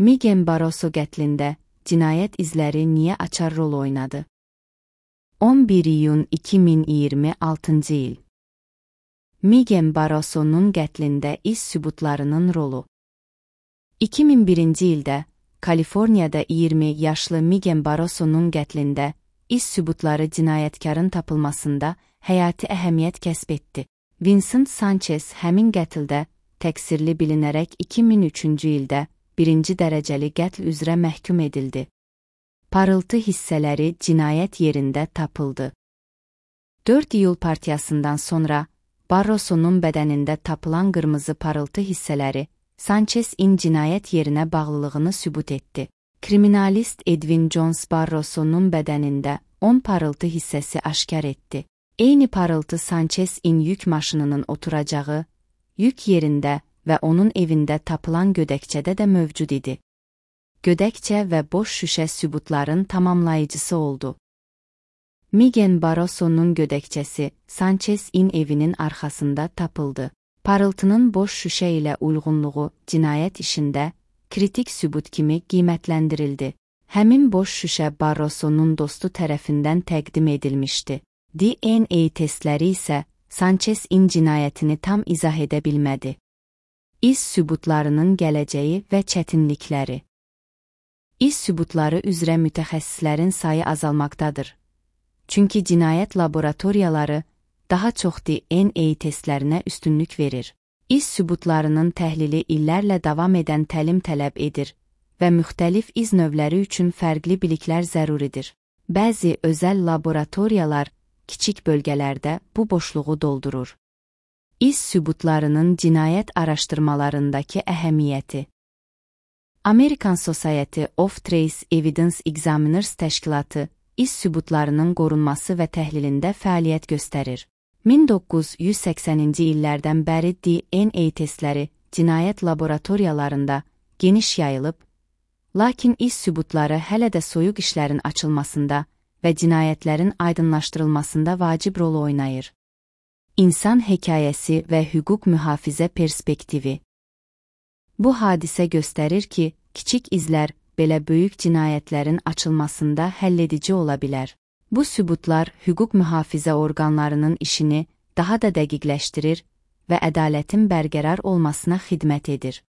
Miguel Barroso qətlində cinayət izləri niyə açar rol oynadı? 11 iyun 2026 il. Miguel Barroso'nun qətlində iz sübutlarının rolu. 2001 ildə Kaliforniyada 20 yaşlı Miguel Barroso'nun qətlində iz sübutları cinayətkarın tapılmasında həyati əhəmiyyət kəsb etdi. Vincent Sanchez həmin qətldə təqsirli bilinərək 2003-cü ildə birinci dərəcəli qətl üzrə məhkum edildi. Parıltı hissələri cinayət yerində tapıldı. 4 iyul partiyasından sonra Barroso'nun bədənində tapılan qırmızı parıltı hissələri Sanchez'in cinayət yerinə bağlılığını sübut etdi. Kriminalist Edwin Jones Barroso'nun bədənində 10 parıltı hissəsi aşkar etdi. Eyni parıltı Sanchez'in yük maşınının oturacağı, yük yerində və onun evində tapılan gödəkçədə də mövcud idi. Gödəkçə və boş şüşə sübutların tamamlayıcısı oldu. Miguel Barroso'nun gödəkçəsi Sanchez'in evinin arxasında tapıldı. Parıltının boş şüşə ilə uyğunluğu cinayət işində kritik sübut kimi qiymətləndirildi. Həmin boş şüşə Barroso'nun dostu tərəfindən təqdim edilmişdi. DNA testləri isə Sanchez'in cinayətini tam izah edə bilmədi. İz sübutlarının gələcəyi və çətinlikləri. İz sübutları üzrə mütəxəssislərin sayı azalmaqdadır. Çünki cinayət laboratoriyaları daha çox DNA testlərinə üstünlük verir. İz sübutlarının təhlili illərlə davam edən təlim tələb edir və müxtəlif iz növləri üçün fərqli biliklər zəruridir. Bəzi özəl laboratoriyalar kiçik bölgələrdə bu boşluğu doldurur. İz sübutlarının cinayət araşdırmalarındakı əhəmiyyəti. American Society of Trace Evidence Examiners təşkilatı iz sübutlarının qorunması və təhlilində fəaliyyət göstərir. 1980-ci illərdən bəri DNA testləri cinayət laboratoriyalarında geniş yayılıb, lakin iz sübutları hələ də soyuq işlərin açılmasında və cinayətlərin aydınlaşdırılmasında vacib rol oynayır. İnsan hekayəsi və hüquq mühafizə perspektivi. Bu hadisə göstərir ki, kiçik izlər belə böyük cinayətlərin açılmasında həlledici ola bilər. Bu sübutlar hüquq mühafizə orqanlarının işini daha da dəqiqləşdirir və ədalətin bərqərar olmasına xidmət edir.